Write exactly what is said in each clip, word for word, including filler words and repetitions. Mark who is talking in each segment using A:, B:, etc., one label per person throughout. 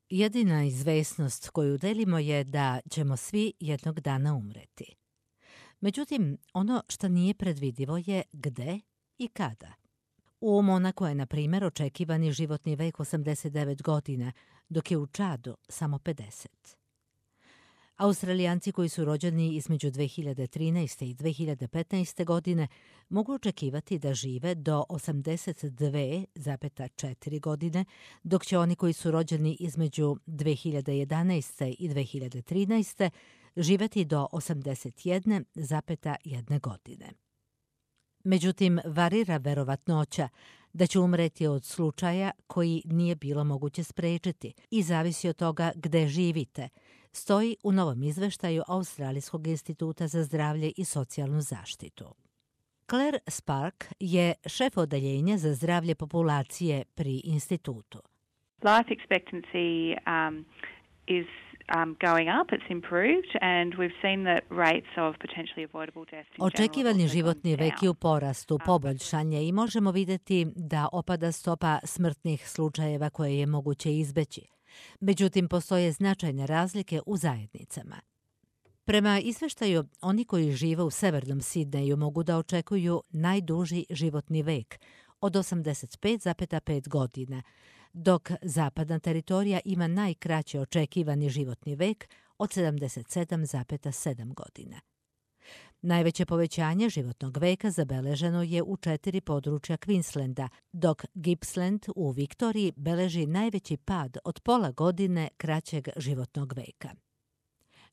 A: Jedina izvesnost koju delimo je da ćemo svi jednog dana umreti. Međutim, ono što nije predvidivo je gde i kada. U Monaku je, na primjer, očekivani životni vek osamdeset devet godina, dok je u Čadu samo pedeset. Australijanci koji su rođeni između dve hiljade trinaeste i dve hiljade petnaeste. godine mogu očekivati da žive do osamdeset dve zarez četiri godine, dok će oni koji su rođeni između dve hiljade jedanaeste. i dve hiljade trinaeste. živeti do osamdeset jedna zarez jedna godine. Međutim, varira verovatnoća da će umreti od slučaja koji nije bilo moguće sprečiti i zavisi od toga gde živite, stoji u novom izveštaju Australijskog instituta za zdravlje i socijalnu zaštitu. Claire Spark je šef odeljenja za zdravlje populacije pri institutu.
B: Life expectancy um, is Um, going up, it's improved, and we've seen that rates of potentially avoidable deaths in general
A: Očekivani životni vek je u
B: down.
A: porastu, poboljšanje i možemo vidjeti da opada stopa smrtnih slučajeva koje je moguće izbeći. Međutim, postoje značajne razlike u zajednicama. Prema izveštaju, oni koji žive u severnom Sidneju mogu da očekuju najduži životni vek od osamdeset pet zarez pet godina, dok zapadna teritorija ima najkraće očekivani životni vek od sedamdeset sedam zarez sedam godina. Najveće povećanje životnog veka zabeleženo je u četiri područja Queenslanda, dok Gippsland u Viktoriji beleži najveći pad od pola godine kraćeg životnog veka.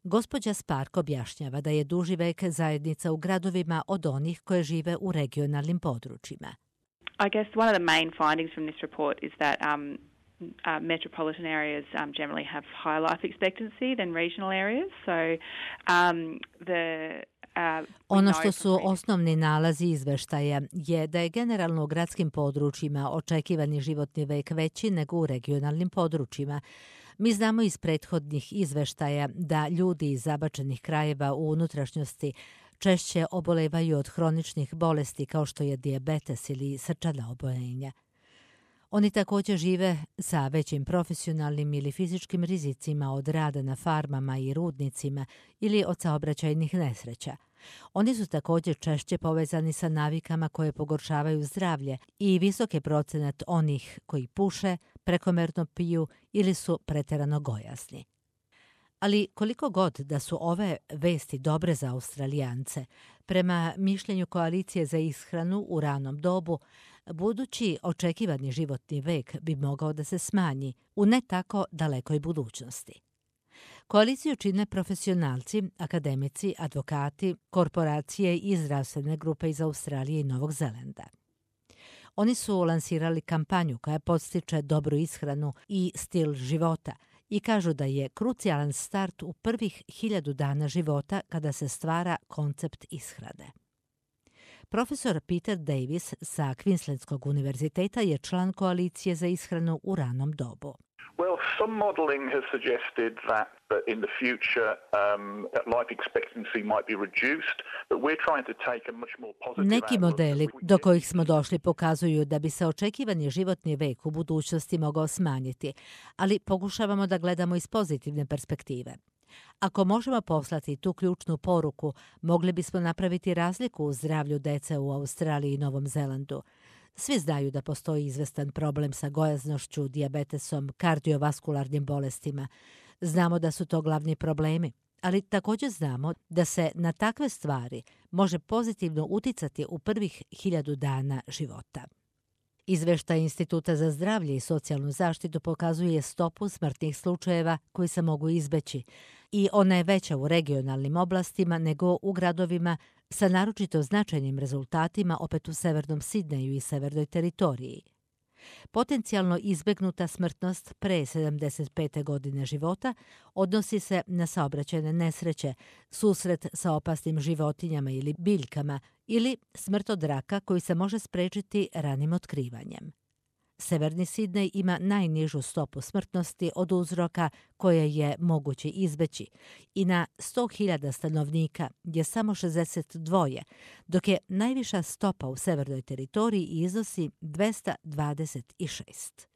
A: Gospođa Spark objašnjava da je duži vek zajednica u gradovima od onih koje žive u regionalnim područjima.
B: I guess one of the main findings from this report is that um, uh, metropolitan areas um, generally have higher life expectancy than regional areas. So um, the uh,
A: Ono što su osnovni nalazi izveštaja je da je generalno u gradskim područjima očekivani životni vek veći nego u regionalnim područjima. Mi znamo iz prethodnih izveštaja da ljudi iz zabačenih krajeva u unutrašnjosti češće obolevaju od hroničnih bolesti kao što je dijabetes ili srčana oboljenja. Oni također žive sa većim profesionalnim ili fizičkim rizicima od rada na farmama i rudnicima ili od saobraćajnih nesreća. Oni su također češće povezani sa navikama koje pogoršavaju zdravlje i visok je procenat onih koji puše, prekomerno piju ili su preterano gojasni. Ali koliko god da su ove vesti dobre za Australijance, prema mišljenju Koalicije za ishranu u ranom dobu, budući očekivani životni vek bi mogao da se smanji u ne tako dalekoj budućnosti. Koaliciju čine profesionalci, akademici, advokati, korporacije i zdravstvene grupe iz Australije i Novog Zelanda. Oni su lansirali kampanju koja podstiče dobru ishranu i stil života i kažu da je krucijalan start u prvih hiljadu dana života kada se stvara koncept ishrane. Profesor Peter Davis sa Queenslandskog univerziteta je član Koalicije za ishranu u ranom dobu.
C: Well, some modelling has suggested that, that in the future um, life expectancy might be reduced, but we're trying to take a much more positive
A: Neki modeli do kojih smo došli pokazuju da bi se očekivani životni vek u budućnosti mogao smanjiti, ali pokušavamo da gledamo iz pozitivne perspektive. Ako možemo poslati tu ključnu poruku, mogli bismo napraviti razliku u zdravlju dece u Australiji i Novom Zelandu. Svi znaju da postoji izvestan problem sa gojaznošću, dijabetesom, kardiovaskularnim bolestima. Znamo da su to glavni problemi, ali također znamo da se na takve stvari može pozitivno uticati u prvih hiljadu dana života. Izveštaj Instituta za zdravlje i socijalnu zaštitu pokazuje stopu smrtnih slučajeva koji se mogu izbeći i ona je veća u regionalnim oblastima nego u gradovima sa naročito značajnim rezultatima opet u severnom Sidneju i severnoj teritoriji. Potencijalno izbegnuta smrtnost pre sedamdeset pete godine života odnosi se na saobraćajne nesreće, susret sa opasnim životinjama ili biljkama ili smrt od raka koji se može sprečiti ranim otkrivanjem. Severni Sidnej ima najnižu stopu smrtnosti od uzroka koje je moguće izbeći i na sto hiljada stanovnika je samo šezdeset dva, dok je najviša stopa u severnoj teritoriji iznosi dvesta dvadeset šest.